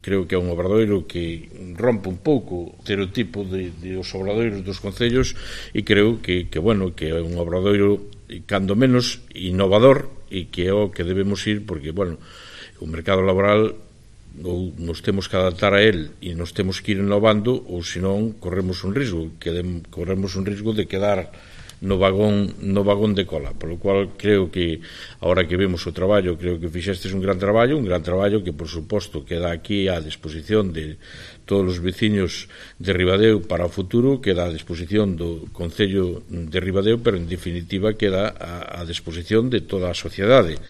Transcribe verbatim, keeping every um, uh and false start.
Creo que é un obradoiro que rompe un pouco o estereotipo de, de os obradoiros dos concellos e creo que, que, bueno, que é un obradoiro cando menos innovador e que é o que debemos ir porque, bueno, o mercado laboral ou nos temos que adaptar a él e nos temos que ir innovando ou senón corremos un risco, que corremos un risco de quedar no vagón no vagón de cola, polo cual creo que agora que vemos o traballo, creo que fixestes un gran traballo, un gran traballo que por suposto queda aquí á disposición de todos os veciños de Ribadeo para o futuro, queda á disposición do Concello de Ribadeo, pero en definitiva queda á disposición de toda a sociedade.